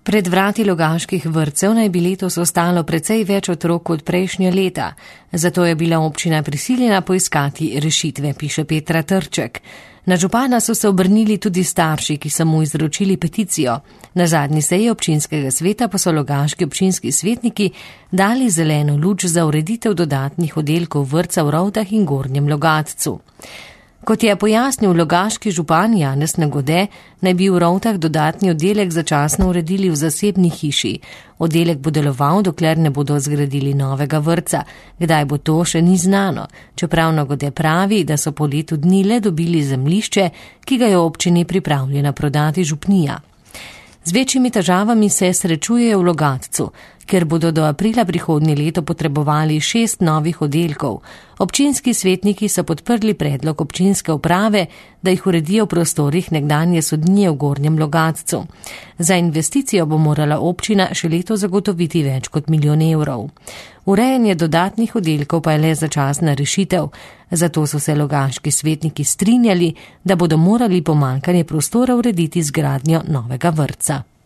Pred vrati logaških vrtcev naj bi letos ostalo precej več otrok kot prejšnja leta, zato je bila občina prisiljena poiskati rešitve, piše Petra Trček. Na župana so se obrnili tudi starši, ki so mu izročili peticijo. Na zadnji seji občinskega sveta pa so logaški občinski svetniki dali zeleno luč za ureditev dodatnih oddelkov vrtca v Rovtah in Gornjem Logatcu. Kot je pojasnil logaški župan Janez Nagode, naj bi v Rovtah dodatni oddelek začasno uredili v zasebni hiši. Oddelek bo deloval, dokler ne bodo zgradili novega vrtca. Kdaj bo to, še ni znano. Čeprav Nagode pravi, da so po letu dni le dobili zemljišče, ki ga je občini pripravljena prodati župnija. Z večjimi težavami se srečujejo v Logatcu, ker bodo do aprila prihodnje leto potrebovali 6 novih oddelkov. Občinski svetniki so podprli predlog občinske uprave, da jih uredijo v prostorih nekdanje sodnije v Gornjem Logatcu. Za investicijo bo morala občina še leto zagotoviti več kot 1 milijon evrov. Urejanje dodatnih oddelkov pa je le začasna rešitev, zato so se logaški svetniki strinjali, da bodo morali pomanjkanje prostora urediti z gradnjo novega vrtca.